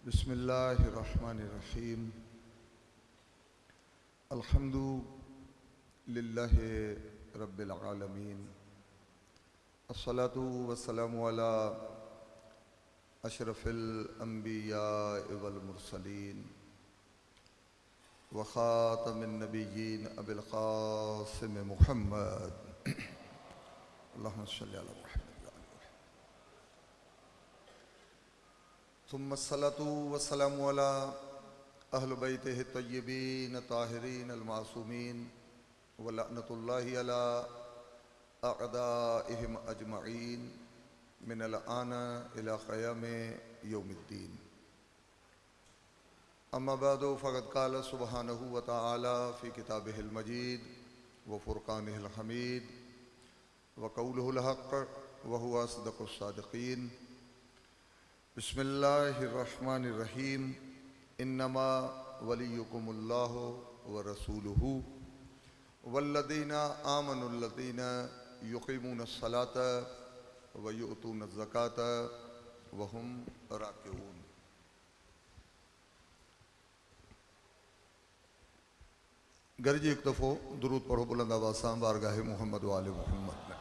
बिस्मिल्लाहिर्रहमानिर्रहीम। अल्हम्दु लिल्लाहि रब्बिल आलमीन। अस्सलातु वस्सलामु अला अशरफिल अंबिया वल मुरसलीन व ख़ातमिन नबिय्यीन अबिल क़ासिम मुहम्मद। अल्लाहुम्मा सल्लि अला मुहम्मद। थुम्मा अस्सलातु वस्सलामु अला अहल बैतिहि तय्यबीन ताहिरीन अल-मासूमीन व लअनतुल्लाहि अला अअदाइहिम अजमईन मिनल आन इला क़याम यौमिद्दीन। अम्मा बाद फ़क़द क़ाल सुब्हानहु व तआला फ़ी किताबिहिल मजीद व फ़ुरक़ानिहिल हमीद व क़ौलुहुल हक़ व हुवा अस्दक़ुस सादिक़ीन। बिस्मिल्लाहिर्रहमानिर्रहीम। इन्नमा वलियुकुमुल्लाहु व रसूलुहु वल्लज़ीना आमनुल्लज़ीना युक़ीमूनस्सलात व युअतूनज़्ज़कात व हुम राकिऊन। गॾिजी हिकु दफ़ो दुरूद पढ़ो बुलंद आवाज़ सां बारगाह मोहम्मद व आले मोहम्मद में।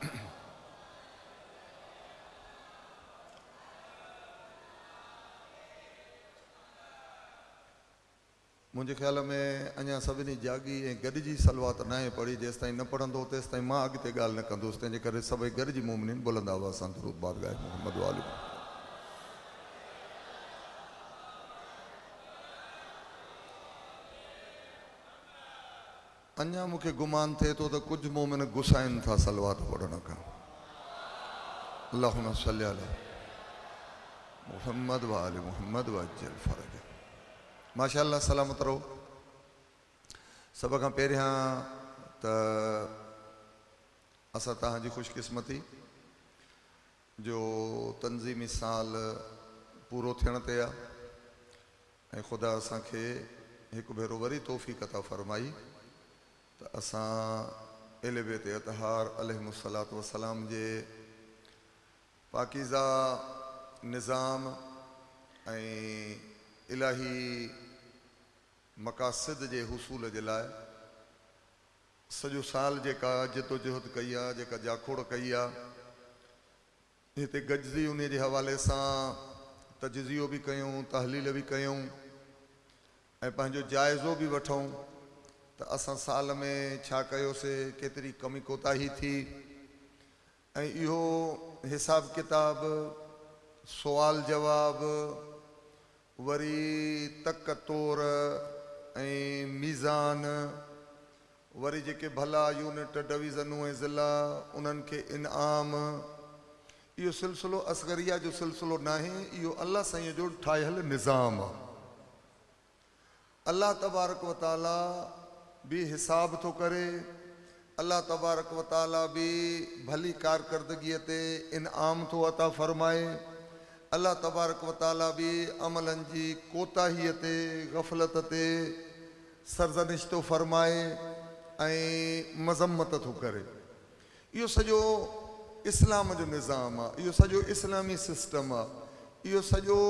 मुंहिंजे ख़्याल में अञा सभिनी जाॻी ऐं गॾिजी सलवात नाहे पढ़ी, जेसि ताईं न पढ़ंदो तेसि ताईं मां अॻिते ॻाल्हि न कंदुसि। तंहिंजे करे सभई गॾिजी मोमिनीन बुलंद आवाज़ सां दुरूद बारगाह मोहम्मद व आले। अञा मूंखे गुमान थिए थो त कुझु मोमिन गुसाइनि था सलवात पढ़ण खां। अल्लाहुम्मा सल्लि अला मुहम्मद व आले मुहम्मद व अज्जल फरज। माशाअल्लाह, सलामत रहो। सभ खां पहिरियां त असां तव्हांजी ख़ुशकिस्मती जो तंज़ीमी साल पूरो थियण ते आहे ऐं ख़ुदा असांखे हिकु भेरो वरी तौफ़ीक़ अता फ़रमाई त असां अहले बैत अतहार अलैहिमुस्सलातु वस्सलाम जे पाकीज़ा निज़ाम ऐं इलाही मक़ासिद जे हुसूल जे लाइ सॼो साल जेका जदोजहद कई आहे, जेका जाखोड़ कई आहे, हिते गॾिजी उन जे हवाले सां तजिज़ियो बि कयूं, तहलील बि कयूं ऐं पंहिंजो जाइज़ो बि वठूं त असां साल में छा कयोसीं, केतिरी कमी कोताही थी ऐं इहो हिसाब किताब, सुवाल जवाब, वरी तक तोर ऐं मीज़ान, वरी जेके भला यूनिट, डिवीज़नूं ऐं ज़िला उन्हनि खे इनाम, इहो सिलसिलो असगरिया जो सिलसिलो नाहे, इहो अलाह साईं जो ठाहियल निज़ाम आहे। अलाह तबारक व तआला बि हिसाब थो करे, अलाह तबारक व तआला बि भली कारकर्दगीअ ते इनाम थो अता फ़रमाए, अलाह तबारक व तआला बि अमलनि जी कोताहीअ ते, गफ़लत ते सरज़निश थो फ़रमाए ऐं मज़म्मत थो करे। इहो सॼो इस्लाम जो निज़ाम आहे, इहो सॼो इस्लामी सिस्टम आहे, इहो सॼो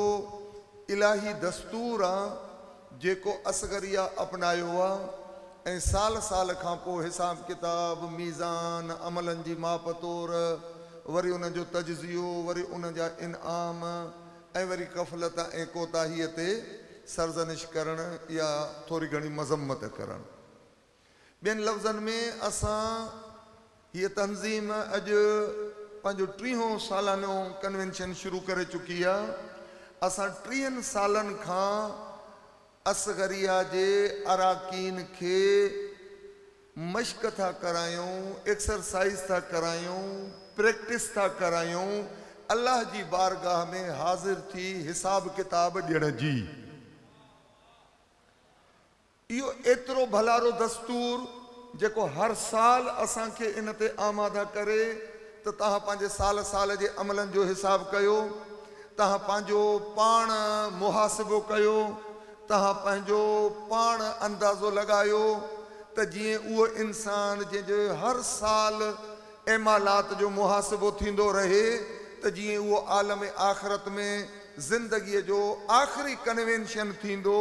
इलाही दस्तूर आहे जेको असगरिया अपनायो आहे ऐं साल साल खां पोइ हिसाब किताब, मीज़ान, अमलनि जी माप तोर, वरी उन जो तजिज़ियो, वरी उन जा इनाम ऐं वरी गफ़लत ऐं कोताहीअ ते सरज़निश करणु या थोरी घणी मज़म्मत करणु। ॿियनि लफ़्ज़नि में असां हीअ तंज़ीम अॼु पंहिंजो 30 सालानो कन्वेंशन शुरू करे चुकी आहे। असां 30 सालनि खां असगरिया जे अराकीन खे मश्क था करायूं, एक्सरसाइज़ था करायूं, प्रैक्टिस था करायूं अलाह जी बारगाह में हाज़िर थी हिसाब किताब ॾियण जी। इहो एतिरो भलारो दस्तूर जेको हर साल असांखे इन ते आमादा करे त तव्हां पंहिंजे साल साल जे अमलनि जो हिसाब कयो, तव्हां पंहिंजो पाण मुहासिबो कयो, तव्हां पंहिंजो पाण अंदाज़ो लॻायो त जीअं उहो इंसान जंहिंजो हर साल एमालात जो मुहासिबो थींदो रहे त जीअं उहो आलम आख़िरत में زندگيء جو آخري ڪنوينشن ٿيندو،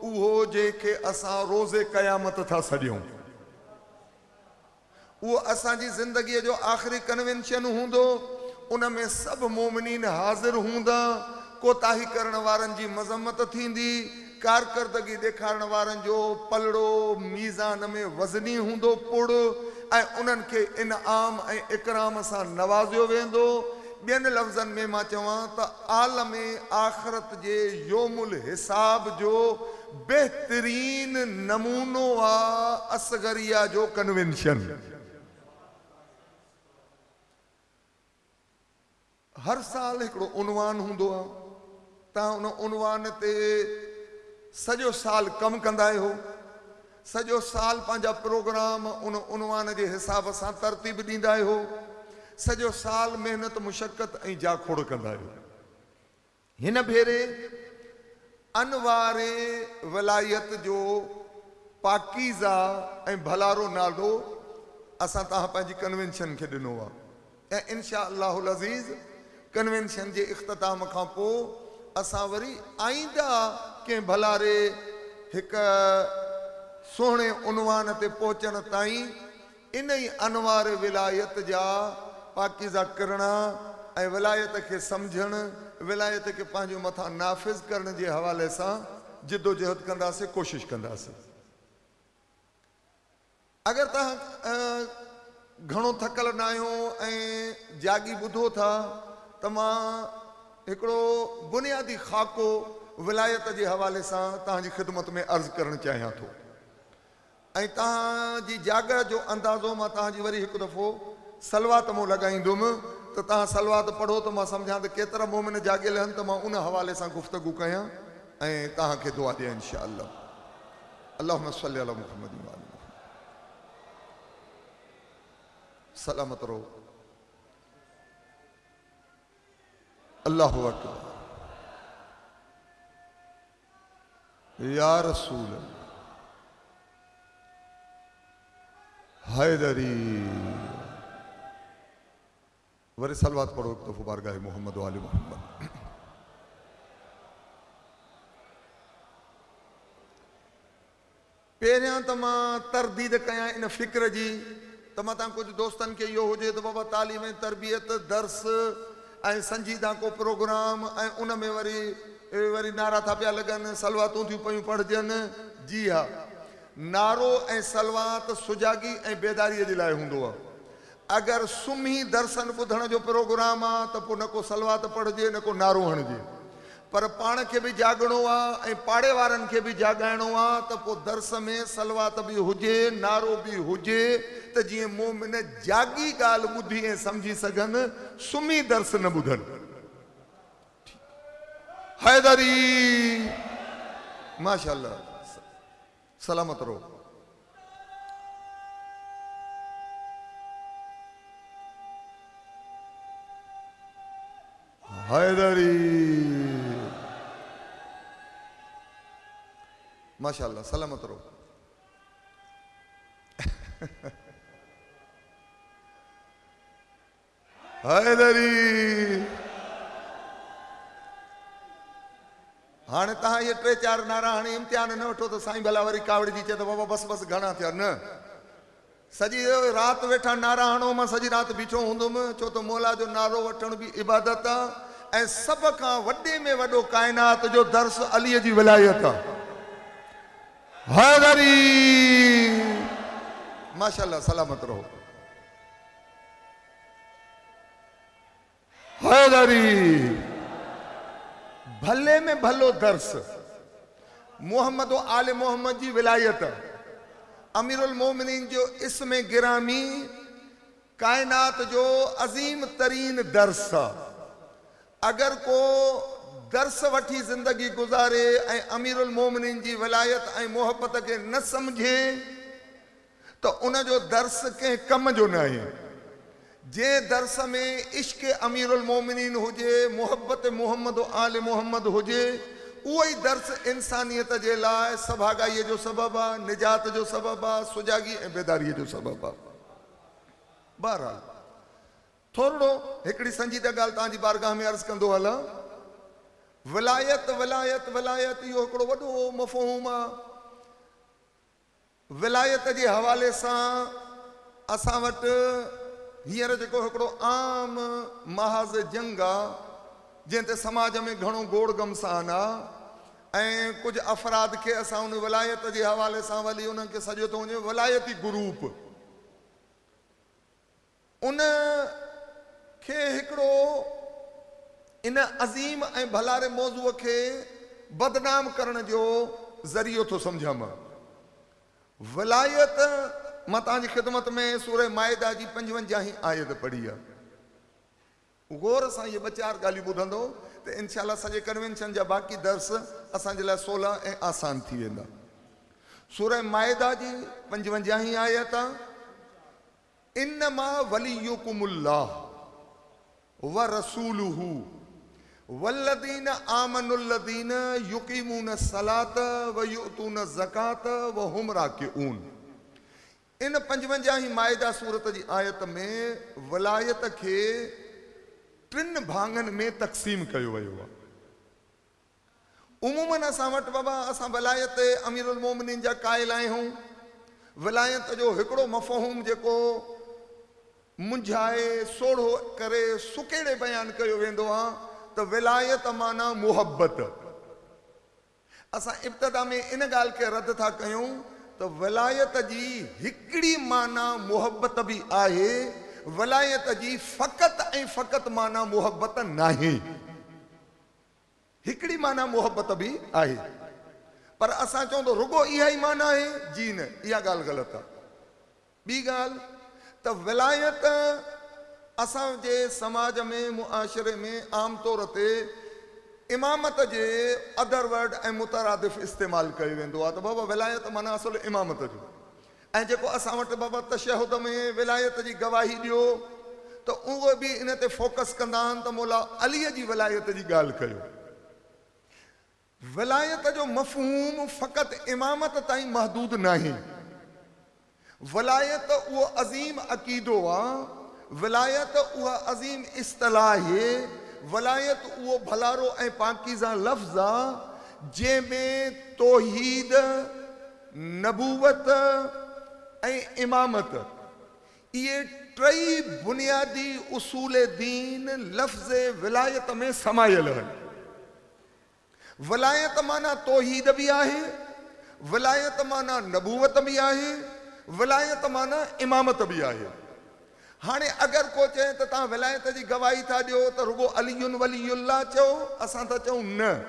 اهو جنهن کي اسان روز قيامت ٿا سڏيون. اهو اسان جي زندگيء جو آخري ڪنوينشن هوندو، ان ۾ سڀ مومنين حاضر هوندا، ڪوتاهي ڪرڻ وارن جي مذمت ٿيندي، ڪارڪردگي ڏيکارڻ وارن جو پلڙو ميزان ۾ وزني هوندو پڙ ۽ انهن کي انعام ۽ اڪرام سان نوازيو ويندو. ٻين لفظن ۾ مان چوان ته عالم آخرت جي يوم الحساب جو بهترين نمونو آ اصغريه جو ڪنوينشن. هر سال هڪڙو عنوان هوندو آ، توهان ان عنوان تي سڄو سال ڪم ڪندا آهيو، سڄو سال پنهنجا پروگرام ان عنوان جي حساب سان ترتيب ڏيندا آهيو، سڄو سال محنت مشقت ۽ جاکوڙ ڪندا آهيو. هن ڀيري انوار ولايت جو پاڪيزه ۽ ڀلارو نالو اسان توهان پنهنجي ڪنوينشن کي ڏنو آ ۽ انشاء الله العزيز ڪنوينشن جي اختتام کان پوء اسان وري آئنده ڪنهن ڀلاري هڪ سهڻي عنوان تي پهچڻ تائين انهي انوار ولايت جا پاڪيزه ڪرڻا ۽ ولايت کي سمجهڻ، ولايت کي پنهنجي مٿان نافذ ڪرڻ جي حوالي سان جدوجهد ڪنداسين، ڪوشش ڪنداسين. اگر توهان گهڻو ٿڪل ناهيو ۽ جاڳي ٻڌو ٿا ته مان هڪڙو بنيادي خاڪو ولايت جي حوالي سان توهان جي خدمت ۾ عرض ڪرڻ چاهيان ٿو. ۽ توهان جي جاڳ جو اندازو مان توهان جي وري هڪ دفعو صلوات مون لڳائيندم ته توهان صلوات پڙهو ته مان سمجهان ته ڪيترا مؤمن جاڳيل آهن ته مان ان حوالي سان گفتگو ڪيان ۽ توهان کي دعا ڏيان انشاء الله اللهم صل علي محمد وآل محمد سلامت رهو. الله اڪبر. يا رسول الله حيدري وري صلوات پڙهو هڪ دفعو بارگاह محمد وآل محمد. پهريان ته مان ترديد ڪيان ان فڪر جي ته متان ڪجهه دوستن کي اهو هجي ته بابا تعليم ۽ تربيت، درس ۽ سنجيده ڪو پروگرام ۽ ان ۾ وري وري نعرا ٿا پيا لڳن، صلواتون ٿيون پيون پڙهجن. جي ها، نعرو ۽ صلوات سجاڳي ۽ بيداريء جي لاء هوندو آهي. اگر سمهي درسن ٻڌڻ جو پروگرام آ ته پوء نه ڪو صلوات پڙهجي نه ڪو نعرو هڻجي. پر پاڻ کي به جاڳڻو آ ۽ پاڙي وارن کي به جاڳائڻو آ ته پوء درس ۾ صلوات به هجي نعرو به هجي ته جيئن مؤمن جاڳي ڳالهه ٻڌي ۽ سمجهي سگهن سمهي درس نه ٻڌن. حيدري ماشاءالله. سلامت رهو. حيدري ماشاءالله سلامت رهو. حيدري هاڻي توهان اهي ٽي چار نعرا هڻي امتحان نه وٺو ته سائين ڀلا وري ڪاوڙجي چئي ته بابا بس بس گهڻا ٿيا نه سڄي رات ويٺا نعرا هڻو مان سڄي رات بيٺو هوندم ڇو ته مولا جو نعرو وٺڻ به عبادت آ ۽ سڀ کان وڏي ۾ وڏو ڪائنات جو درس علي جي ولايت آ حيدري ماشاءالله سلامت رهو. حيدري! ڀلي ۾ ڀلو درس، محمد و آل محمد جي ولايت، اميرالمومنين جو اسم گرامي ڪائنات جو عظيم ترين درس آ. اگر ڪو درس وٺي زندگي گذاري ۽ اميرالمومنين جي ولايت ۽ محبت کي نه سمجهي ته ان جو درس ڪنهن ڪم جو ناهي. جنهن درس ۾ عشق اميرالمومنين هجي، محبت محمد و آل محمد هجي، اهو ئي درس انسانيت جي لاء سڀاڳائيء جو سبب آ، نجات جو سبب آ، سجاڳي ۽ بيداريء جو سبب آ. بهرحال ٿورڙو هڪڙي سنجيده ڳالهه توهان جي بارگاهه ۾ عرض ڪندو هلان. ولايت ولايت ولايت اهو هڪڙو وڏو مفهوم آ. ولايت جي حوالي سان اسان وٽ هينئر جيڪو هڪڙو عام محاذ جنگ آ، جنهن تي سماج ۾ گهڻو گوڙ گهمسان آ ۽ ڪجهه افراد کي اسان ان ولايت جي حوالي سان ولي انهن کي سڏيو ٿو وڃي ولايتي گروپ. ان کي هڪڙو ان عظيم ۽ ڀلاري موضوع کي بدنام ڪرڻ جو ذريعو ٿو سمجهان مان. ولايت مان توهان جي خدمت ۾ سوره مائده جي پنجونجاهين آيت پڙهي آهي. غور سان اهي ٻه چار ڳالهيون ٻڌندؤ ته انشاء الله سڄي ڪنوينشن جا باقي درس اسان جي لاء سولا ۽ آسان ٿي ويندا. سوره مائده جي پنجونجاهين آيت آهي. انما وليڪم الله ورسوله والذين آمنوا الذين يقيمون الصلاة ويؤتون الزڪاة وهم راڪعون ان پنجونجاهين مائده سورت جي آيت ۾ ولايت کي ٽن ڀاڱن ۾ تقسيم ڪيو ويو آهي. عموماً اسان وٽ بابا اسان ولايت امير المومنين جا قائل آهيون. ولايت جو هڪڙو مفهوم جيڪو منجهائي سوڙهو ڪري سڪيڙي بيان ڪيو ويندو آ ته ولايت معنيٰ محبت. اسان ابتدا ۾ ان ڳالهه کي رد ٿا ڪيون ته ولايت جي هڪڙي معنيٰ محبت به آهي، ولايت جي فقط ۽ فقط معنيٰ محبت ناهي. هڪڙي معنيٰ محبت به آهي. پر اسان چئون ته رڳو اها ئي معنيٰ آهي؟ جي نه، اها ڳالهه غلط آهي. ٻي ڳالهه ته ولايت اسان جي سماج ۾ معاشري ۾ عام طور تي امامت جي ادر ورڊ ۽ مترادف استعمال ڪيو ويندو آهي ته بابا ولايت معنيٰ اصل امامت جو. ۽ جيڪو اسان وٽ بابا تشهد ۾ ولايت جي گواهي ڏيو ته اهي به ان تي فوڪس ڪندا آهن ته مولا علي جي ولايت جي ڳالهه ڪيو. ولايت جو مفهوم فقط امامت تائين محدود ناهي. ولايت اهو عظيم عقيدو آ، ولايت اها عظيم اصطلاح آهي، ولايت اهو ڀلارو ۽ پاڪيزه لفظ آ جنهن ۾ توحيد، نبوت ۽ امامت، اهي ٽئي بنيادي اصول دين لفظ ولايت ۾ سمايل آهن. ولايت معنيٰ توحيد به آهي، ولايت معنيٰ نبوت به آهي، ولايت معنيٰ امامت به آهي. هاڻي اگر ڪو چئي ته توهان ولايت جي گواهي ٿا ڏيو ته رڳو علي ولي الله چئو، اسان ٿا چئون نه،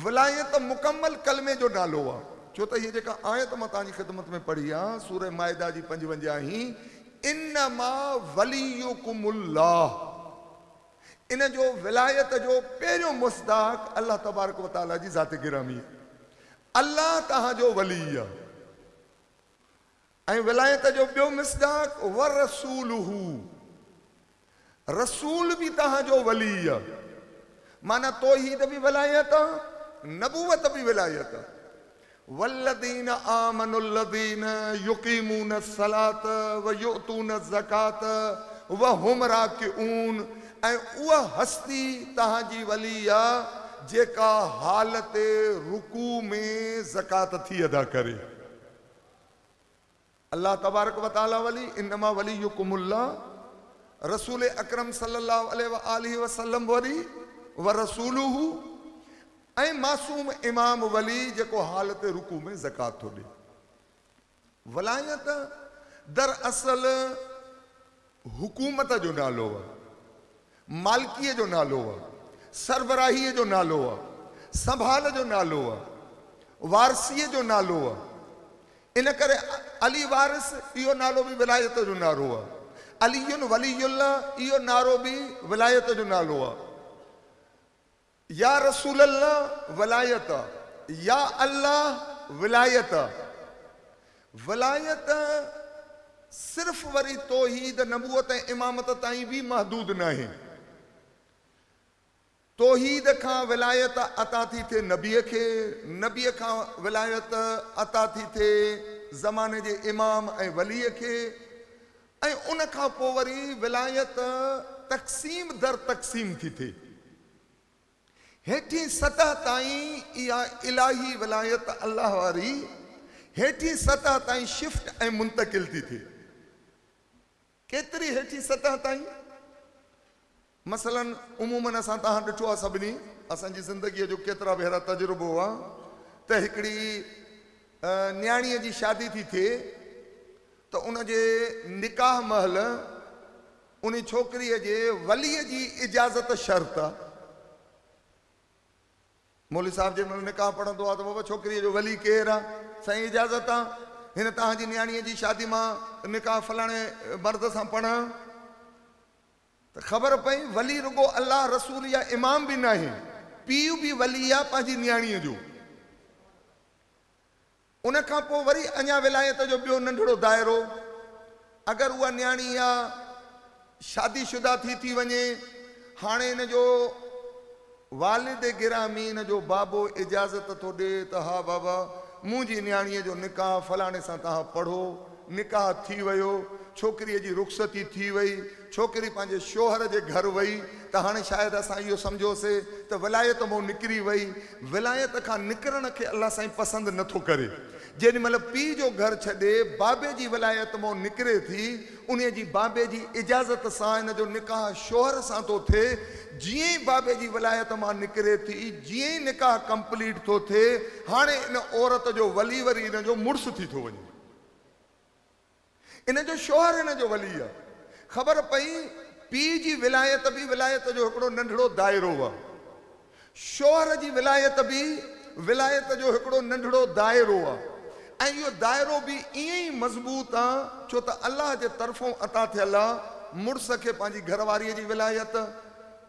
ولايت مڪمل ڪلمي جو نالو آ، ڇو ته هيء جيڪا آيت مان توهان جي خدمت ۾ پڙهي آ، سوره مائده جي پنجونجاهين، انما وليڪم الله، ان جو ولايت جو پهريون مصداق الله تبارڪ وتعاليٰ جي ذات گرامي آ، الله توهان جو ولي آ. ۽ ولايت جو ٻيو مصداق ورسوله، رسول به توهان جو ولي آ، معنيٰ توحيد به ولايت آ، نبوت به ولايت آ. والذين آمنوا الذين يقيمون الصلاة ويؤتون الزڪاة وهم راڪعون ۽ اها هستي توهان جي ولي آ جيڪا حالت رڪوع ۾ زڪوات ٿي ادا ڪري. الله تبارڪ و تعالي ولي، انما وليڪم الله، رسول اڪرم صلي الله عليه واٰله وسلم ولي، ورسوله، ۽ معصوم امام ولي جيڪو حالت رڪوع ۾ زڪوات ٿو ڏي. ولايت در اصل حڪومت جو نالو آ، مالڪيء جو نالو آ، سربراهيء جو نالو آ، سنڀال جو نالو آ، وارثيء جو نالو آ. ان ڪري علي وارث اهو نالو به ولايت جو نعرو آ. علي ولي الله اهو نعرو به ولايت جو نالو آ. يا رسول الله ولايت يا الله ولايت ولايت صرف وري توحيد نبوت ۽ امامت تائين به محدود ناهي. توحيد کان ولايت عطا ٿي ٿئي نبيء کي، نبيء کان ولايت عطا ٿي ٿئي زماني جي امام ۽ وليء کي ۽ ان کان پوء وري ولايت تقسيم در تقسيم ٿي ٿئي. هيٺين سطح تائين اها الاهي ولايت الله واري هيٺين سطح تائين شفٽ ۽ منتقل ٿي ٿئي. ڪيتري هيٺين سطح تائين؟ مثلاً عموماً اسان توهان ڏٺو آهي سڀني اسان جي زندگيء جو ڪيترا ڀيرا تجربو آهي ته هڪڙي نياڻيء جي شادي ٿي ٿئي ته ان جي نڪاح مهل انهي ڇوڪريء جي وليء جي اجازت شرط آ. مولوي صاحب جنهن مهل نڪاح پڙهندو آ ته بابا ڇوڪريء جو ولي ڪير آ؟ سائين اجازت آ هن توهان جي نياڻيء جي شادي مان نڪاح فلاڻي مرد سان پڙهان. ته خبر پئي ولي رڳو الله، رسول يا امام به ناهي، پيء به ولي آ پنهنجي نياڻيء جو. ان کان پوء وري اڃا ولايت جو ٻيو ننڍڙو دائرو، اگر اها نياڻي يا شادي شده ٿي ٿي وڃي، هاڻي ان جو والد گرامي ان جو بابو اجازت ٿو ڏئي ته ها بابا منهنجي نياڻيء جو نڪاح فلاڻي سان توهان پڙهو، نڪاح ٿي ويو، ڇوڪريء جي رخصتي ٿي وئي، ڇوڪري پنهنجي شوهر جي گهر وئي ته هاڻي شايد اسان اهو سمجهوسي ته ولايت مون نڪري وئي. ولايت کان نڪرڻ کي الله سائين پسند نه ٿو ڪري. جيڏي مهل پيء جو گهر ڇڏي بابي جي ولايت مون نڪري ٿي، انهيء جي بابي جي اجازت سان ان جو نڪاح شوهر سان ٿو ٿئي. جيئن ئي بابي جي ولايت مان نڪري ٿي، جيئن ئي نڪاح ڪمپليٽ ٿو ٿئي، هاڻي ان عورت جو ولي وري ان جو مڙس ٿي ٿو وڃي. ان جو شوهر هن جو ولي آ. خبر پئي پيء جي ولايت به ولايت جو هڪڙو ننڍڙو دائرو آ. شوهر جي ولايت به ولايت جو هڪڙو ننڍڙو دائرو آ ۽ اهو دائرو به ائين ئي مضبوط آ ڇو ته الله جي طرفون عطا ٿيل آ. مڙس کي پنهنجي گهر واريء جي ولايت،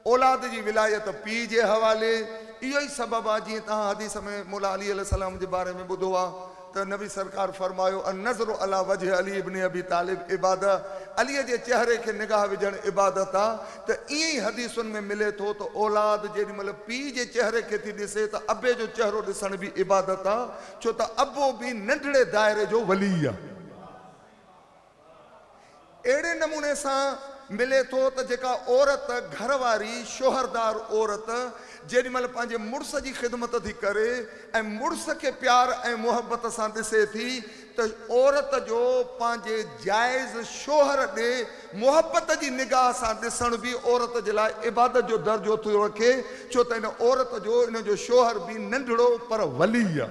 اولاد جي ولايت پيء جي حوالي، اهو ئي سبب آ جيئن توهان حديث ۾ مولا علي عليه السلام جي باري ۾ ٻڌو آ ته نبي سرڪار فرمايو، النظر علي وجه علي ابن ابي طالب عباده، علي جي چهري کي نگاهه وجهڻ عبادت آ ته ائين ئي حديثن ۾ ملي ٿو ته اولاد جيڏي مهل پيء جي چهري کي ٿي ڏسي ته ابي جو چهرو ڏسڻ به عبادت آ ڇو ته ابو به ننڍڙي دائري جو ولي آ. اهڙي نموني سان ملي ٿو ته جيڪا عورت گهر واري شوهردار عورت جيڏي مهل پنهنجي مڙس جي خدمت ٿي ڪري ۽ مڙس کي پيار ۽ محبت سان ڏسي ٿي ته عورت جو پنهنجي جائز شوهر ڏي محبت جي نگاهه سان ڏسڻ به عورت جي لاء عبادت جو درجو ٿو رکي ڇو ته ان عورت جو ان جو شوهر به ننڍڙو پر ولي آهي.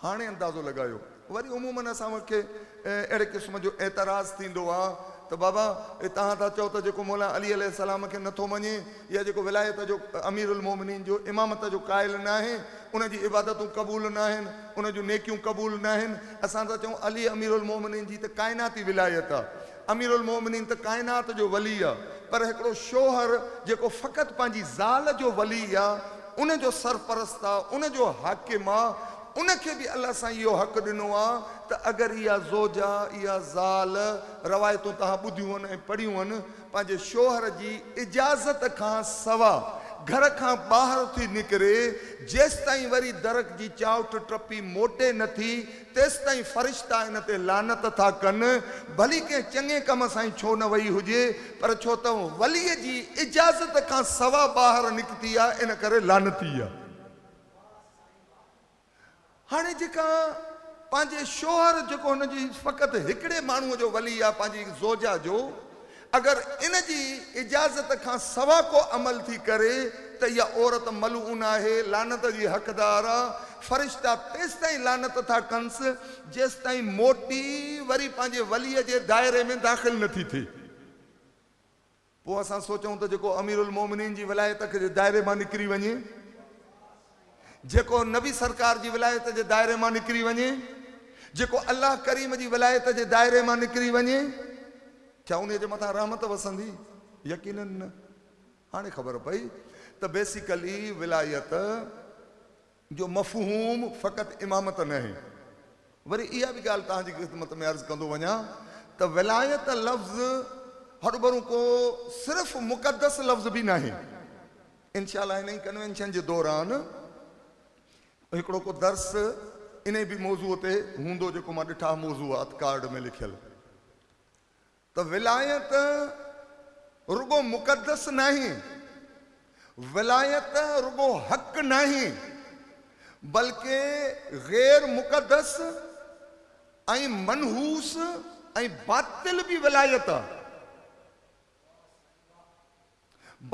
هاڻي اندازو لڳايو. وري عموماً اسان کي اهڙي قسم جو اعتراض ٿيندو آ ته بابا توهان ٿا چئو ته جيڪو مولا علي عليه السلام کي نٿو مڃي يا جيڪو ولايت جو امير المومنين جو امامت جو قائل ناهي ان جي عبادتون قبول ناهن ان جون نيڪيون قبول ناهن اسان ٿا چئون علي امير المومنين جي ته ڪائناتي ولايت آ امير المومنين ته ڪائنات جو ولي آ پر هڪڙو شوهر جيڪو فقط پنهنجي زال جو ولي آ ان جو سرپرست آ ان جو حاڪم آ ان کي به الله سائين اهو حق ڏنو آ ته اگر اها زوجه اها زال روايتون توهان ٻڌيون هن ۽ پڙهيون هن پنهنجي شوهر جي اجازت کان سوا گهر کان ٻاهر ٿي نڪري جيستائين وري در جي چائوٺ ٽپي موٽي نه ٿي تيستائين فرشتا ان تي لعنت ٿا ڪن، ڀلي ڪنهن چڱي ڪم سان ئي ڇو نه وئي هجي، پر ڇو ته وليء جي اجازت کان سوا ٻاهر نڪتي آ، ان ڪري لعنتي آ. هاڻي جيڪا پنهنجي شوهر جيڪو هن جي فقط هڪڙي ماڻهوء جو ولي آ، پنهنجي زوجه جو، اگر ان جي اجازت کان سوا ڪو عمل ٿي ڪري ته اها عورت ملعون آهي، لعنت جي حقدار آ، فرشتا تيستائين لعنت ٿا ڪنس جيستائين موٽي وري پنهنجي وليء جي دائري ۾ داخل نه ٿي ٿئي. پوء اسان سوچون ته جيڪو اميرالمومنين جي ولايت جي دائري مان نڪري وڃي، جيڪو نبي سرڪار جي ولايت جي دائري مان نڪري وڃي، جيڪو الله ڪريم جي ولايت جي دائري مان نڪري وڃي، ڇا انهيء جي مٿان رحمت وسندي؟ يقيناً نه. هاڻي خبر پئي ته بيسيڪلي ولايت جو مفهوم فقط امامت ناهي. وري اها به ڳالهه توهان جي خدمت ۾ عرض ڪندو وڃان ته ولايت لفظ هروڀرو ڪو صرف مقدس لفظ به ناهي. انشاء الله هن ئي ڪنوينشن جي دوران هڪڙو ڪو درس انهي به موضوع تي هوندو جيڪو مان ڏٺا موضوعات ڪارڊ ۾ لکيل ته ولايت رڳو مقدس ناهي ولايت رڳو حق ناهي بلڪه غير مقدس ۽ منحوس ۽ باطل به ولايت آ.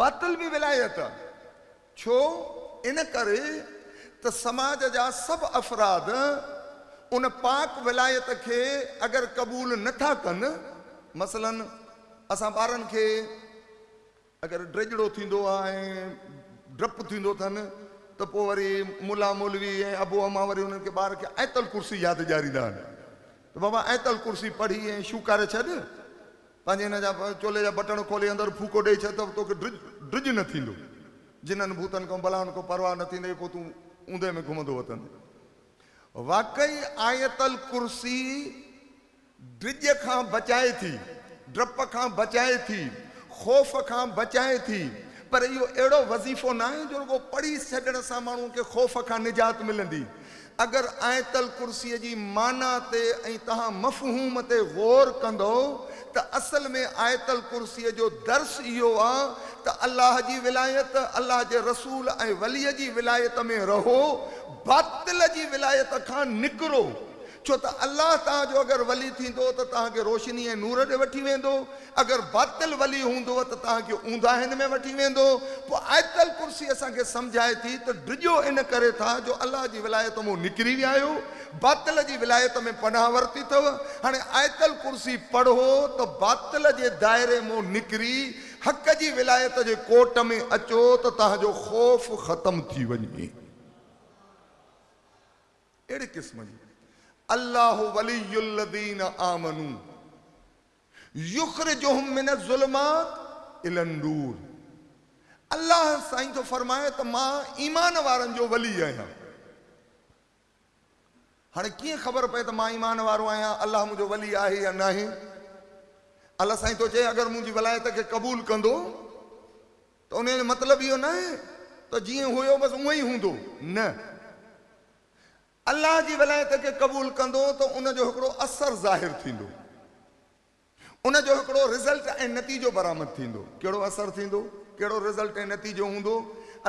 باطل به ولايت آ. ڇو؟ ان ڪري ته سماج جا سڀ افراد ان پاڪ ولايت کي اگر قبول نه ٿا ڪن، مثلاً اسان ٻارن کي اگر ڊيڄڙو ٿيندو آ ۽ ڊپ ٿيندو اٿن ته پوء وري ملا مولوي ۽ ابو امان وري انهن کي ٻار کي آيت الڪرسي ياد ڏياريندا آهن ته بابا آيت الڪرسي پڙهي ۽ شوڪاري ڇڏ پنهنجي هن جا چولي جا بٽڻ کولي اندر ڦوڪو ڏئي ڇڏ ته توکي ڊڄ ڊڄ نه ٿيندو جنن ڀوتن کان بلائن کان پرواهه نه ٿيندئي پوء تون اوندهه ۾ گهمندو وتندين. واقعي آيت الڪرسي ڊڄ کان بچائي ٿي، ڊپ کان بچائي ٿي، خوف کان بچائي ٿي، پر اهو اهڙو وظيفو ناهي جو رڳو پڙهي ڇڏڻ سان ماڻهوء کي خوف کان نجات ملندي. اگر آيت الڪرسيء جي معنيٰ تي ۽ توهان مفهوم تي غور ڪندؤ ته اصل ۾ آيت الڪرسيء جو درس اهو آ ته الله جي ولايت، الله جي رسول ۽ وليء جي ولايت ۾ رهو، باطل جي ولايت کان نڪرو. ڇو ته الله توهان جو اگر ولي ٿيندو ته توهان کي روشني ۽ نور ڏي وٺي ويندو، اگر باطل ولي هوندو ته توهان کي اونداهين ۾ وٺي ويندو. پوء آيت الڪرسي اسان کي سمجهائي ٿي ته ڊڄو ان ڪري ٿا جو الله جي ولايت مون نڪري ويا آهيو، باطل جي ولايت ۾ پناهه ورتي اٿو. هاڻي آيت الڪرسي پڙهو ته باطل جي دائري مون نڪري حق جي ولايت جي ڪوٽ ۾ اچو ته توهان جو خوف ختم ٿي وڃي. اهڙي قسم جي الله ولي الذين آمنوا يخرجهم من الظلمات الي النور الله سائين ٿو فرمائي ته مان ايمان وارن جو ولي آهيان. هاڻي ڪيئن خبر پئي ته مان ايمان وارو آهيان، الله منهنجو ولي آهي يا ناهي؟ الله سائين ٿو چئي اگر منهنجي ولايت کي قبول ڪندو ته انهيء جو مطلب اهو ناهي ته جيئن هيو بس اونئن ئي هوندو، نه، الله جي ولايت کي قبول ڪندو ته ان جو هڪڙو اثر ظاهر ٿيندو، ان جو هڪڙو رزلٽ ۽ نتيجو برآمد ٿيندو. ڪهڙو اثر ٿيندو؟ ڪهڙو رزلٽ ۽ نتيجو هوندو؟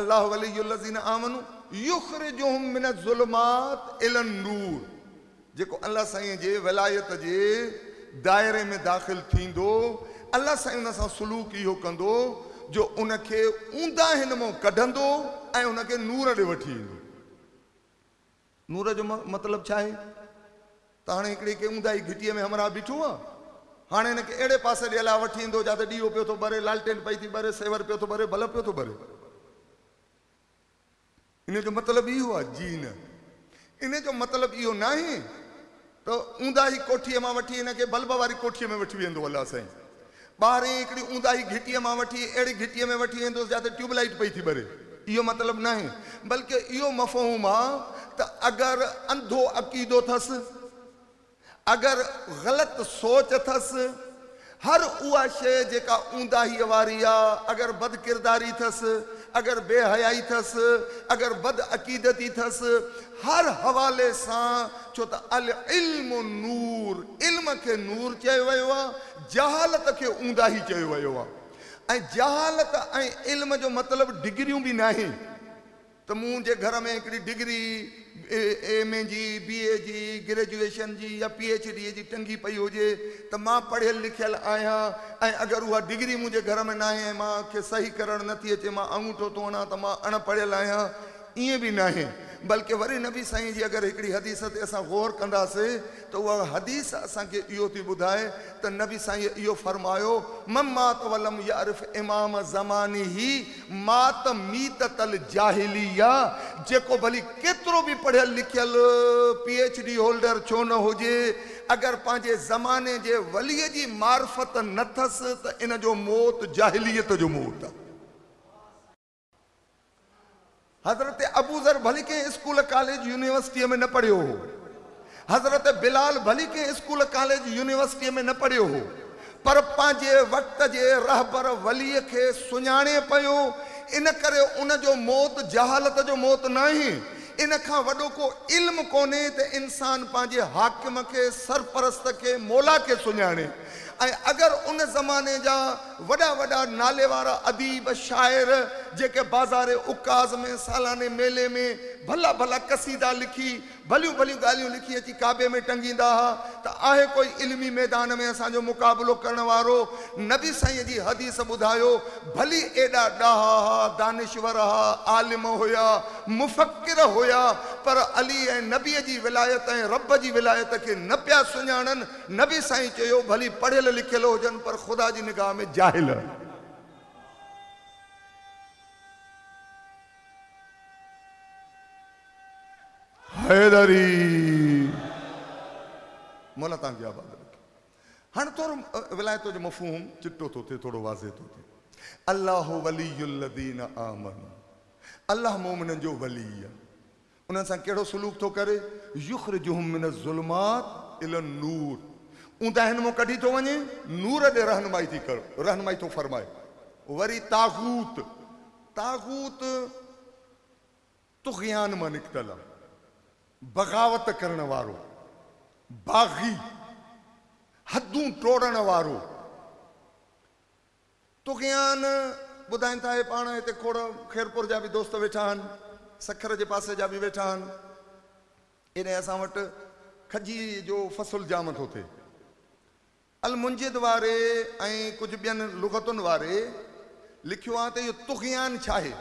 الله ولي الذين آمنوا يخرجهم من الظلمات الي النور جيڪو الله سائين جي ولايت جي دائري ۾ داخل ٿيندو، الله سائين ان سان سلوڪ اهو ڪندو جو ان کي اونداهين مان ڪڍندو ۽ ان کي نور ڏي وٺي ايندو. نور جو مطلب ڇا آهي؟ ته هاڻي هڪڙي ڪنهن اونداهي گهٽيء ۾ همراهه بيٺو آ، هاڻي هن کي اهڙي پاسي ڏي الله وٺي ايندو جاتي ڏيئو پيو ٿو ٻري، لالٽين پئي ٿي ٻري، سيور پيو ٿو ٻري، بلب پيو ٿو ٻري. ان جو مطلب اهو آ؟ جي نه. ان جو مطلب اهو ناهي ته اونداهي ڪوٺيء مان وٺي هن کي بلب واري ڪوٺيء ۾ وٺي ويندو الله سائين. ٻاهرين هڪڙي اونداهي گهٽيء مان وٺي اهڙي گهٽيء ۾ وٺي ويندوس جاتي ٽيوب لائيٽ پئي ٿي ٻري. اهو مطلب ناهي. بلڪه اهو مفهوم آ ته اگر انڌو عقيدو ٿس، اگر غلط سوچ اٿس، هر اها شيء جيڪا اونداهيء واري آ، اگر بدڪرداري ٿس، اگر بي حيائي ٿس، اگر بد عقيدتي ٿس، هر حوالي سان، ڇو ته العلم نور، علم کي نور چيو ويو آ، جهالت کي اونداهي چيو ويو آ ۽ جهالت ۽ علم جو مطلب ڊگريون به ناهي. ته منهنجي گهر ۾ هڪڙي ڊگري ايم اي جي، بي اي جي، گريجوئيشن جي يا پي ايڇ ڊي جي ٽنگي پئي هجي ته مان پڙهيل لکيل آهيان ۽ اگر اها ڊگري منهنجي گهر ۾ ناهي ۽ مان کي صحيح ڪرڻ نه ٿي اچي مان آڱوٺو ٿو هڻان ته مان اڻ پڙهيل آهيان ائين به ناهي بلڪه وري نبي سائين جي اگر هڪڙي حديث تي اسان غور ڪنداسي ته اها حديث اسان کي اهو ٿي ٻڌائي ته نبي سائين اهو فرمايو من مات ولم يعرف امام زمانه مات ميتة الجاهليه، جيڪو ڀلي ڪيترو به پڙهيل لکيل، پي ايڇ ڊي هولڊر ڇو نه هجي، اگر پنهنجي زماني جي ولي جي معرفت نه ٿس ته ان جو موت جاهليت جو موت آهي. حضرت ابوذر ڀلي ڪنهن اسڪول ڪاليج يونيورسٽيء ۾ نه پڙهيو هو. حضرت بلال ڀلي ڪنهن اسڪول ڪاليج يونيورسٽيء ۾ نه پڙهيو هو پر پنهنجي وقت جي رهبر وليء کي سڃاڻي پيو ان ڪري ان جو موت جهالت جو موت ناهي. ان کان وڏو ڪو علم ڪونهي ته انسان پنهنجي حاڪم کي، سرپرست کي، مولا کي سڃاڻي. ۽ اگر ان زماني جا وڏا وڏا نالي وارا اديب، شاعر جيڪي بازار عڪاظ ۾ سالاني ميلي ۾ ڀلا ڀلا قصيدا لکي، ڀليون ڀليون ڳالهيون لکي اچي ڪعبي ۾ ٽنگيندا ها ته آهي ڪوئي علمي ميدان ۾ اسان جو مقابلو ڪرڻ وارو؟ نبي سائين جي حديث ٻڌايو، ڀلي ايڏا ڏاها ها، دانشور ها، عالم هيا، مفڪر هيا، پر علي ۽ نبي جي ولايت ۽ رب جي ولايت کي نه پيا سڃاڻن، نبي سائين چيو، ڀلي پڙهيل لکيل هجن پر خدا جي نگاهه ۾ جاهل. حيدري مولا توهان کي آباد رکي. هاڻي ٿورو ولايت جو مفهوم چٽو ٿو ٿئي، ٿورو واضح ٿو ٿئي. الله ولي الذين آمنوا الله مؤمنن جو ولي آهي. انهن سان ڪهڙو سلوڪ ٿو ڪري؟ يخرجهم من الظلمات الي النور اونداهين مان ڪڍي ٿو وڃي نور ڏي رهنمائي ٿي ڪر رهنمائي ٿو فرمائي. وري طاغوت طاغوت طغيان مان نڪتل آ، بغاوت ڪرڻ وارو، باغي، حدون ٽوڙڻ وارو. طغيان ٻڌائين ٿا، هي پاڻ هتي کوڙ خيرپور جا به دوست ويٺا آهن، سکر جي پاسي جا به ويٺا آهن. ايڏانهن اسان وٽ کجي جو فصل جام ٿو ٿئي. المنجد واري ۽ ڪجهه ٻين لغتن واري لکيو آهي ته اهو طغيان ڇا آهي؟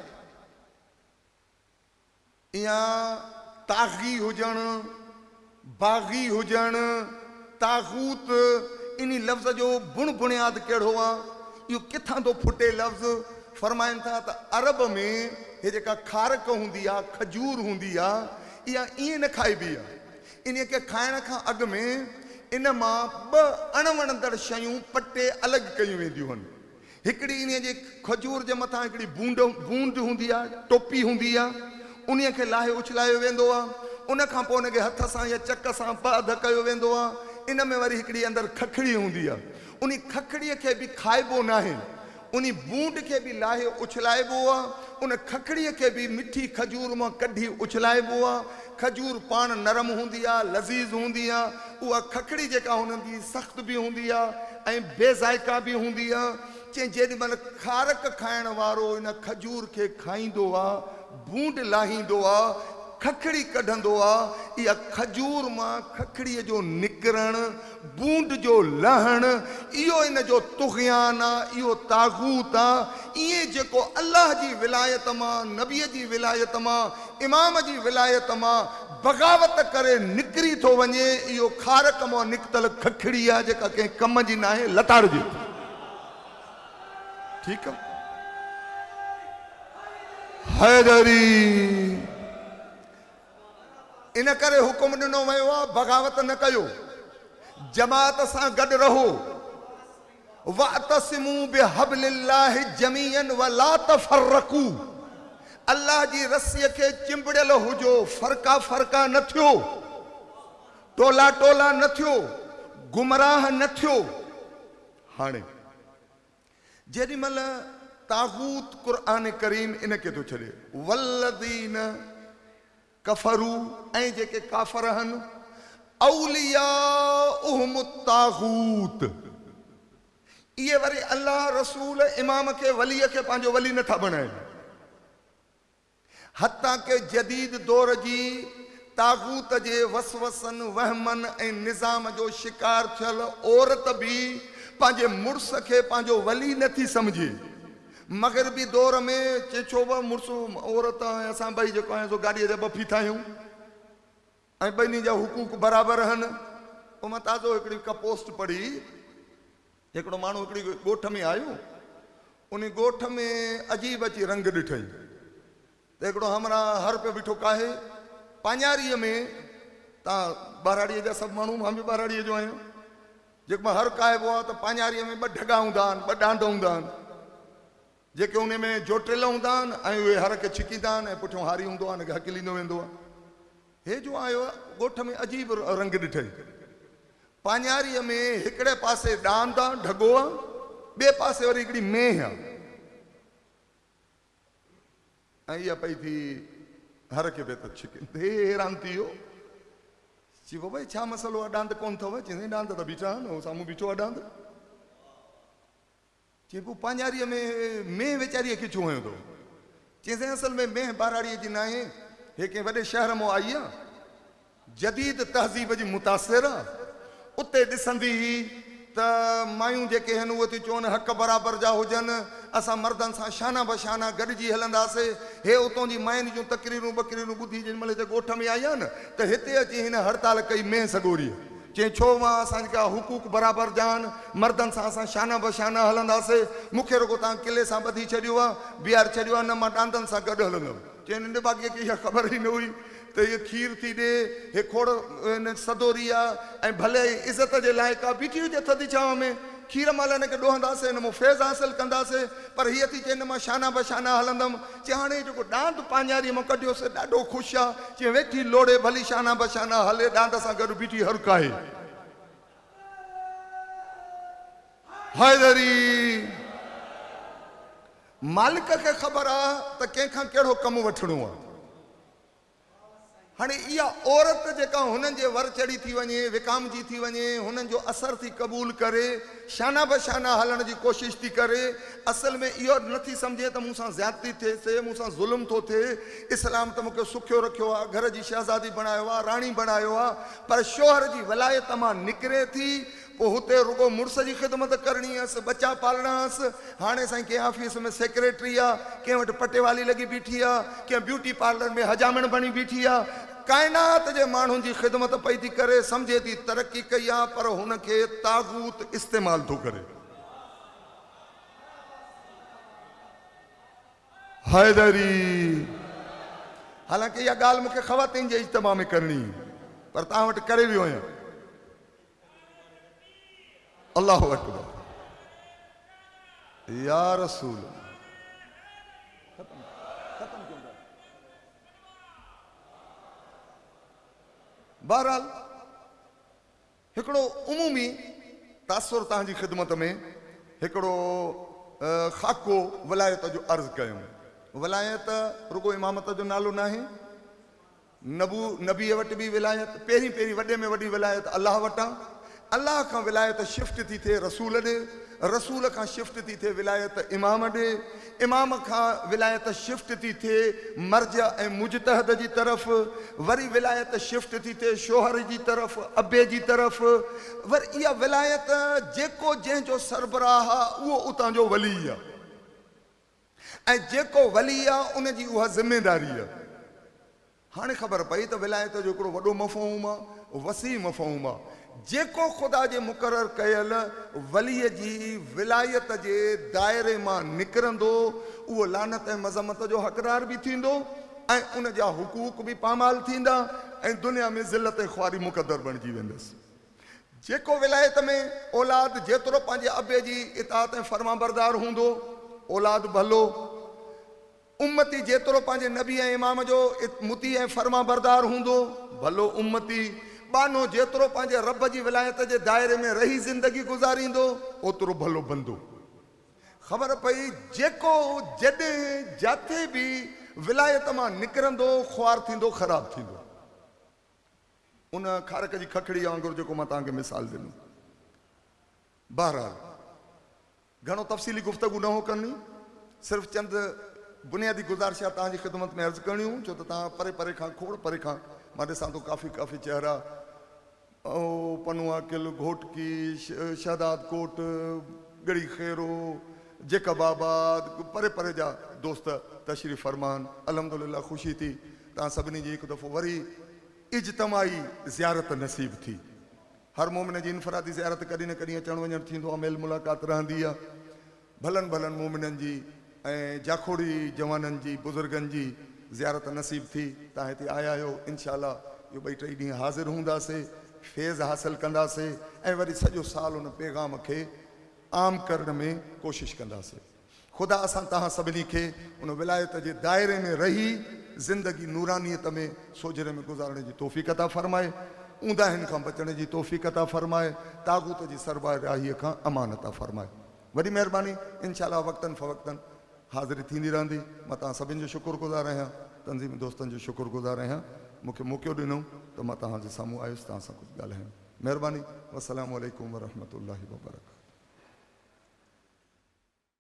اها طاغي هجڻ، باغي هجڻ، طاغوت، انهي لفظ جو بڻ بڻياد ڪهڙو آ؟ اهو ڪٿان ٿو ڦٽي لفظ؟ فرمائن ٿا ته عرب ۾ هي جيڪا کارڪ هوندي آ، کجور هوندي آ، اها ائين نه کائبي آ. انهيء کي کائڻ کان اڳ ۾ ان مان ٻه اڻوڻندڙ شيون پٽي الڳ ڪيون وينديون هن. هڪڙي انهيء جي کجور جي مٿان هڪڙي بونڊ، بوند، هوندي آهي، ٽوپي هوندي آهي، انهيء کي لاهي اڇلايو ويندو آهي. ان کان پوء ان کي هٿ سان يا چڪ سان ٻه اڌ ڪيو ويندو آهي. ان ۾ وري هڪڙي اندر ککڙي هوندي آهي. انهي ککڙيء کي به کائبو ناهي. انهي بونڊ کي به لاهي اڇلائبو آ، ان ککڙيء کي به مٺي کجور مان ڪڍي اڇلائبو آ. کجور پاڻ نرم هوندي آ، لذيذ هوندي آ. اها ککڙي جيڪا هوندي سخت به هوندي آ ۽ بي ذائقه به هوندي آ. چئين جيڏي مهل کارڪ کائڻ وارو ان کجور کي کائيندو آ، بونڊ لاهيندو آ، ککڙي ڪڍندو آ، اها کجور مان ککڙيء جو نڪرڻ، بونڊ جو لهڻ، اهو ان جو طغيان آ، اهو طاغوت آ، ائين جيڪو الله جي ولايت مان، نبي جي ولايت مان، امام جي ولايت مان بغاوت ڪري نڪري ٿو وڃي، اهو کارڪ مان نڪتل ککڙي آ، جيڪا ڪنهن ڪم جي ناهي، لتاڙجي ٿي. ٺيڪ آ. حيدري. ان ڪري حڪم ڏنو ويو آهي بغاوت نه ڪيو، جماعت سان گڏ رهو، واعتصموا بحبل الله جميعا ولا تفرقوا الله جي رسيء کي چنبڙيل هجو، فرقا فرقا نه ٿيو، ٽولا ٽولا نه ٿيو، گمراهه نه ٿيو. هاڻي جيڏي مهل طاغوت قرآن ڪريم ان کي ٿو ڇڏي والذين ڪفروا ۽ جيڪي ڪافر هن اولياؤهم الطاغوت اهي وري الله رسول امام کي ولي کي پنهنجو ولي نٿا بڻائين. حتيٰ ڪه جديد دور جي طاغوت جي وسوسن، وهمن ۽ نظام جو شڪار ٿيل عورت به پنهنجي مڙس کي پنهنجو ولي نه ٿي سمجهي. مغربي دور ۾ چي ڇو به مڙس عورت ۽ اسان ٻئي جيڪو آهيون سو گاڏيء جا ٻه ڦيٿا آهيون ۽ ٻنهي جا حقوق برابر آهن. پوء مان تازو هڪڙي ڪا پوسٽ پڙهي. هڪڙو ماڻهو هڪڙي ڳوٺ ۾ آيو، انهي ڳوٺ ۾ عجيب اچي رنگ ڏٺئي ته هڪڙو همراهه هر پيو بيٺو ڪاهي پاڃاريء ۾، توهان ٻهراڙيء جا سڀ ماڻهو، مان به ٻهراڙيء جو آهيان، جيڪو هر ڪاهبو آهي ته پاڃاريء ۾ ٻه ڍڳا هوندا آهن، ٻه ڏاند هوندا آهن، جيڪي انهي ۾ جوٽيل هوندا آهن ۽ اهي هر کي ڇڪيندا آهن ۽ پٺيون هاري هوندو آهي ان کي هڪليندو ويندو آهي. هي جو آيو ڳوٺ ۾ عجيب رنگ ڏٺئي. پاڃاريء ۾ هڪڙي پاسي ڏاند آ، ڍڳو آ، ٻئي پاسي وري هڪڙي مينهن آ ۽ اها پئي ٿي هر کي پئي ٿو ڇڪي. هي حيران ٿي ويو. چي بابا هي ڇا مسئلو آ، ڏاند ڪونه اٿو؟ چيائين ڏاند ته بيٺا آهن، هو سامهون بيٺو آ ڏاند. چي پوء پاڃاريء ۾ مينهن ويچاريء کي ڇو هنيو اٿو؟ چيائين سائين اصل ۾ مينهن ٻهراڙيء جي ناهي، هي ڪنهن وڏي شهر مان آئي آ، جديد تهذيب جي متاثر آ، اتي ڏسندي هئي ته مايون جيڪي هن اهي ٿيون چون حق برابر جا هجن، اسان مردن سان شانه بشانه گڏجي هلنداسي، هي اتون جي ماين جون تقريرون ٻقريرون ٻڌي جنهن مهل هتي ڳوٺ ۾ آئي آ نه ته هتي اچي هن هڙتال ڪئي مينهن سڳوريء. چيائين، ڇو مان اسان جا حقوق برابر جا آهن، مردن سان اسان شانه به شانه هلنداسي، مون کي رڳو توهان قلعي سان ٻڌي ڇڏيو آهي، بيهاري ڇڏيو آهي، نه مان ڏاندن سان گڏ هلندم. چيائين، ننڍڀاڳيء کي اها خبر ئي نه هئي ته هيء کير ٿي ڏي، هي کوڙ سدوري آهي ۽ ڀلي عزت جي لائق آهي، بيٺي هجي ٿڌي ڇانو ۾. کير مهل هن کي ڏوهنداسين، هن مان فيض حاصل ڪنداسين، پر هيء ٿي چئي نه مان شانه به شانه هلندم. چي هاڻي جيڪو ڏاند پاڃاريء مان ڪڍيوس، ڏاڍو خوش آ. چي ويٺي لوڙهي ڀلي شانه به شانه هلي، ڏاند سان گڏ بيٺي هر ڪاهي. حيدري! مالڪ کي خبر آ ته ڪنهن کان ڪهڙو ڪم وٺڻو آ. هاڻي اها عورت جيڪا هنن جي ور چڙهي ٿي وڃي، وڪامجي ٿي وڃي، هنن جو اثر ٿي قبول ڪري، شانه به شانه هلڻ جي ڪوشش ٿي ڪري، اصل ۾ اهو نه ٿي سمجهي ته مون سان زيادتي ٿئي ٿي، مون سان ظلم ٿو ٿئي، اسلام ته مون کي سکيو رکيو آهي، گهر جي شهزادي بڻايو آهي، راڻي بڻايو آهي، پر شوهر جي ولايت مان نڪري ٿي، پوء هتي رڳو مڙس جي خدمت ڪرڻي هيس، ٻچا پالڻا هئس. هاڻي سائين ڪنهن آفيس ۾ سيڪريٽري آ، ڪنهن وٽ پٽيوالي لڳي بيٺي آ، ڪنهن بيوٽي پارلر ۾ حجامڻ بڻي بيٺي آ. ڪائنات جي ماڻهن جي خدمت پئي ٿي ڪري، سمجهي ٿي ترقي ڪئي آ، پر هن کي طاغوت استعمال ٿو ڪري. حيدري! حالانڪه اها ڳالهه مون کي خواتين جي اجتماع ۾ ڪرڻي هئي، پر توهان وٽ ڪري ويو آهيان. الله اڪبر يا رسول بهرحال هڪڙو عمومي تاثر توهان جي خدمت ۾ هڪڙو خاڪو ولايت جو عرض ڪيم. ولايت رڳو امامت جو نالو ناهي. نبو، نبيء وٽ به ولايت، پهرين پهرين وڏي ۾ وڏي ولايت الله وٽان، الله کان ولايت شفٽ ٿي ٿئي رسول ڏي، رسول کان شفٽ ٿي ٿئي ولايت امام ڏي، امام کان ولايت شفٽ ٿي ٿئي مرجع ۽ مجتهد جي طرف، وري ولايت شفٽ ٿي ٿئي شوهر جي طرف، ابي جي طرف، وري اها ولايت جيڪو جنهن جو سربراهه آ اهو اتان جو ولي آ. ۽ جيڪو ولي آ ان جي اها ذميداري آ. هاڻي خبر پئي ته ولايت جو هڪڙو وڏو مفهوم آ، وسيع مفهوم آ. جيڪو خدا جي مقرر ڪيل ولي جي ولايت جي دائري مان نڪرندو اهو لعنت ۽ مذمت جو حقدار به ٿيندو ۽ ان جا حقوق به پامال ٿيندا ۽ دنيا ۾ ذلت ۽ خواري مقدر بڻجي ويندس. جيڪو ولايت ۾ اولاد جيترو پنهنجي ابي جي اطاعت ۽ فرمانبردار هوندو، اولاد ڀلو. امتي جيترو پنهنجي نبي ۽ امام جو مطيع ۽ فرمانبردار هوندو، ڀلو امتي. ٻانهو جيترو پنهنجي رب جي ولايت جي دائري ۾ رهي زندگي گذاريندو، اوترو ڀلو بندو. خبر پئي جيڪو جڏهن جاٿي به ولايت مان نڪرندو، خوار ٿيندو، خراب ٿيندو. ان کارڪ جي ککڙي وانگر جيڪو مان توهان کي مثال ڏنو. بهرحال گهڻو تفصيلي گفتگو نه هو ڪرڻي، صرف چند بنيادي گذارشات توهان جي خدمت ۾ عرض ڪرڻيون هيون، ڇو ته توهان پري پري کان کوڙ پري کان مان ڏسان ٿو ڪافي ڪافي چهرا پنو عاقل، گهوٽڪي، شهداد ڪوٽ، ڳڙهي خيرو، جيڪب آباد، پري پري جا دوست تشريف فرما آهن. الحمدلله خوشي ٿي توهان سڀني جي هڪ دفعو وري اجتماعي زيارت نصيب ٿي. هر مومن جي انفرادي زيارت ڪڏهن نه ڪڏهن اچڻ وڃڻ ٿيندو آهي، ميل ملاقات رهندي آهي. ڀلن ڀلن مومنن جي ۽ جاکوڙي جوانن جي بزرگن جي زيارت نصيب ٿي. توهان هتي آيا آهيو، انشاء الله اهو ٻئي ٽئي ڏينهن حاضر هونداسي، فيض حاصل ڪنداسي ۽ وري سڄو سال ان پيغام کي عام ڪرڻ ۾ ڪوشش ڪنداسي. خدا اسان توهان سڀني کي ان ولايت جي دائري ۾ رهي زندگي نورانيت ۾ سوجهري ۾ گذارڻ جي توفيق عطا فرمائي، اونداهين کان بچڻ جي توفيق عطا فرمائي، طاغوت جي سربراهي کان امان عطا فرمائي. وڏي مهرباني انشاء الله وقتن فوقتن حاضري ٿيندي رهندي. مان توهان سڀني جو شڪر گذار آهيان، تنظيمي دوستن جو شڪر گذار آهيان، مون کي موقعو ڏنو ته مان توهان جي سامهون آيس توهان سان ڪجهه ڳالهايم. مهرباني والسلام عليڪم ورحمة الله وبرڪاته.